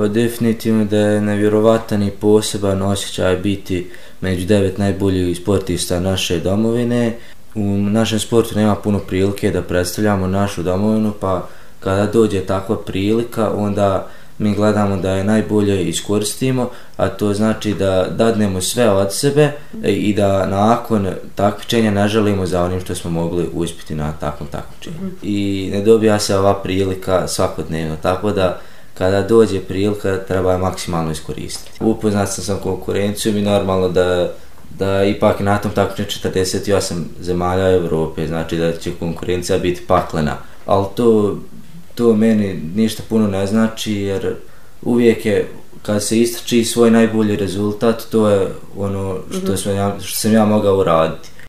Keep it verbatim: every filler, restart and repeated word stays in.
Pa definitivno da je nevjerovatan i poseban osjećaj biti među devet najboljih sportista naše domovine. U našem sportu nema puno prilike da predstavljamo našu domovinu, pa kada dođe takva prilika, onda mi gledamo da je najbolje iskoristimo, a to znači da dadnemo sve od sebe i da nakon takmičenja ne želimo za onim što smo mogli uspjeti na takvom takmičenju. I ne dobija se ova prilika svakodnevno, tako da kada dođe prilika treba je maksimalno iskoristiti. Upoznat sam sa konkurencijom i normalno da da ipak na tom takmičenju četrdeset osam zemalja Evrope, znači da će konkurencija biti paklena, ali to to meni ništa puno ne znači, jer uvijek je, kad se istrači svoj najbolji rezultat, to je ono što, mm-hmm. sam, ja, što sam ja mogao uraditi.